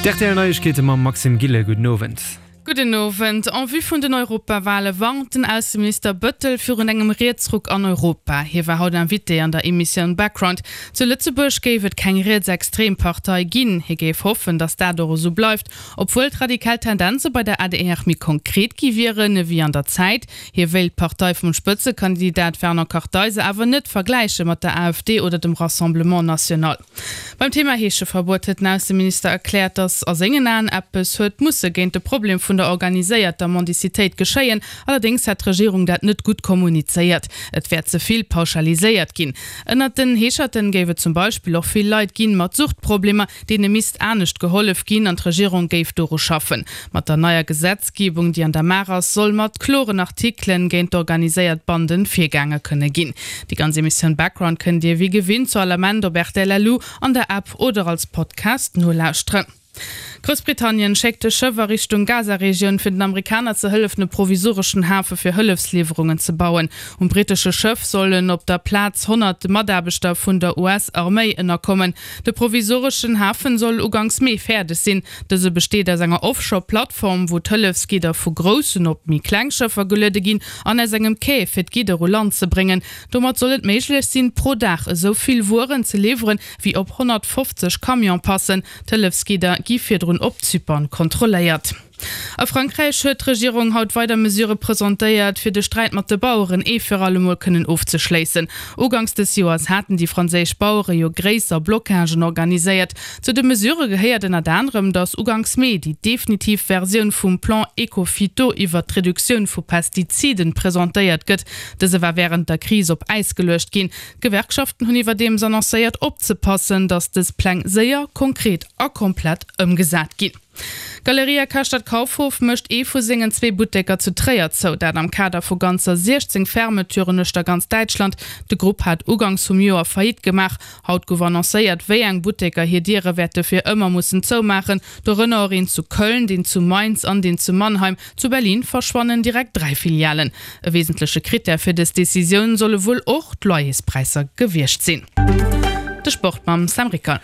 D'RTL Neiegkeete mam Maxime Gillen. Gudden Owend. Gudden Owend. En vue vun den Europawale warnt den Ausseminister Bëttel virun engem Rietsruck an Europa. Hie war haut Invité an der Emissioun Background. Zu Lëtzebuerg géif et keng rietsextrem Partei ginn. Hie géif hoffen, datt dat och esou bleift, obwuel d'radikal Tendenze bei der adr méi konkret gi wieren ewéi an der Zäit. Hie wéilt d'Partei vum Spëtzekandidat Fernand Kartheiser awer net vergläiche mat der AfD oder dem Rassemblement National. Beim Thema Heescheverbuet huet den Ausseminister erkläert, datt a sengen Aen eppes huet musse géint de Problem vun der organiséierter Mendicitéit geschéien. Allerdéngs hätt d'Regierung dat net gutt kommunizéiert. Et wär ze vill pauschaliséiert ginn. Ënnert den Heescherten géif et zum Beispill och vill Leit ginn mat Suchtproblemer, deene misst anescht gehollef ginn an d'Regierung géif doru schaffen. Mat der neier Gesetzgebung, déi an der Maach ass, soll mat kloren Artikelen géint d'organiséiert Banden virgaange kënne ginn. Déi ganz Emissioun Background kënnt Dir wéi gewinnt zu all Ament op rtl.lu, an der App oder als Podcast nolauschteren. Groussbritannien schéckt e Schëff a Richtung Gaza-Regioun, fir den Amerikaner ze hëllefen e provisoreschen Hafe fir Hëllefsliwwerungen ze bauen. Um brittesche Schëff sollen op der Plaz 100 Mataarbechter vun der US-Arméi ënnerkommen. De provisoreschen Hafen soll uganks Mee fäerdeg sinn. Dëse besteet aus enger Offshore-Plattform, wou d'Hëllefsgidder vu groussen op méi kleng Schëffer geluede ginn, an aus engem Quai, fir d'Gidder u Land ze bréngen. Domat soll et méiglech sinn, pro Dag esou vill Wueren ze liwweren, wéi op 150 Camion passen. D'Hëllefsgidder gi virdrun op Zypern kontrolléiert. A Frankräich huet d'Regierung haut weider Mesure presentéiert, fir de Sträit mat de Baueren ee fir alle Mol kënnen ofzeschléissen. Uganks des Joers haten déi franséisch Bauere jo gréisser Blockagen organiséiert. Zu de Mesure gehéiert ënnert anerem, datt uganks Mee déi definitiv Versioun vum Plan Ecophyto iwwert d'Reduktioun vu Pestiziden presentéiert gëtt. Dëse war wärend der Kris op Äis geluecht ginn. D'Gewerkschaften hunn iwwerdeems annoncéiert opzepassen, datt dës Pläng séier, konkret a komplett ëmgesat ginn. D'Galeria Karstadt Kaufhof mécht ee vu sengen zwee Butteker zu Tréier zou. Dat am Kader vu ganzer 16 Fermeturen uechter ganz Däitschland. De Grupp hat uganks vum Joer Faillite gemaach. Haut gouf annoncéiert, wéi eng Butteker hir Diere wäerte fir ëmmer mussen zoumaachen. Dorënner och een zu Köln, deen zu Mainz an deen zu Mannheim. Zu Berlin verschwannen direkt 3 Filialen. E wesentleche Krittär fir dës Decisioun solle wuel och d'Loyerspräisser gewiescht sinn. De Sport mam Sam Ricker.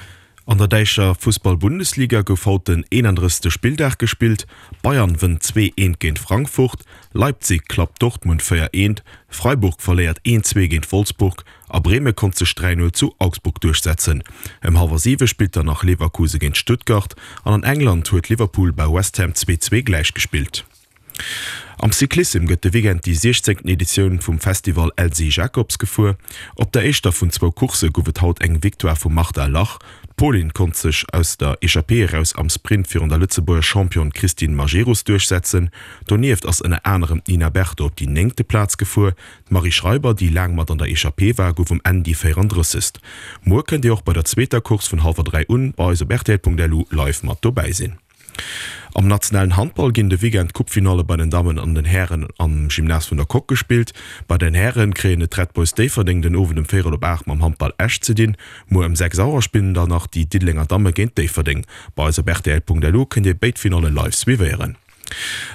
An der däischer Fussball-Bundesliga gouf haut den 31. Spilldag gespillt. Bayern wënnt 2, 1 géint Frankfurt, Leipzig klappt Dortmund 4, 1, Freiburg verléiert 1, 2 géint Wolfsburg a Breme konnt sech 3, 0 zu Augsburg duerchsetzen. Ëm hallwer 7 spillt dann nach Leverkusen géint Stuttgart an an England huet Liverpool bei West Ham 2, 2 gläichgespillt. Am Cyclissem gëtt de Weekend déi 16. Editioun vum Festival Elsy Jacobs gefuer. Op der éischter vun zwou Coursse gouf et haut eng Victoire vum Marta Lach. D'Polin konnt sech aus der Echappée eraus am Sprint virun der Lëtzebuerger Championne Christine Majerus duerchsetzen. Donieft ass ënner anerem d'Nina Berton op déi néngte Plaz gefuer. D'Marie Schreiber, déi laang mat an der Echappée war, gouf um Enn déi 34. Muer kënnt Dir och bei der zweeter Course vun hallwer 3 un bei eis op rtl.lu live mat dobäi sinn. Am nationalen Handball ginn de Weekend d'Coupe-Finalle bei den Dammen an den Hären am Gymnase vun der Coque gespillt. Bei den Häre kréien et d'Red Boys Déifferdeng den Owend um véierel op 8 mam Handball Esch ze dinn. Muer ëm 6 Auer spillen dann nach déi Diddelenger Damme géint Déifferdeng. Bei eis op rtl.lu kënnt Dir béid Finalle live suivéieren.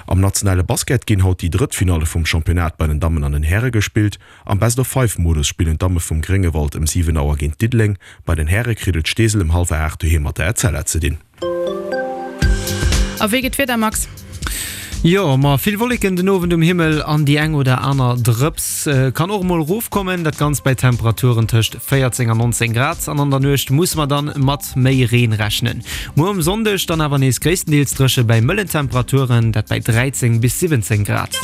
Am nationale Basket ginn haut déi drëtt Finalle vum Championnat bei den Dammen an den Häre gespillt. Am Best-of-Five-Modus spillen d'Damme vum Gréngewald ëm 7 Auer géint Diddeleng. Bei den Häre kritt et Steesel ëm hallwer 8 doheem mat der Etzella ze dinn. A wéi geet d'Wieder, Max? Jo, ma vill Wolleken den Owend um Himmel an déi eng oder aner Drëps kann och emol erofkommen. Dat Ganzt bei Temperaturen tëscht 14 an 19 Grad. An an der Nuecht musse mer dann mat méi Reen rechnen. Muer um Sonndeg dann awer nees gréisstendeels dréche bei mëllen Temperaturen, dat bei 13 bis 17 Grad.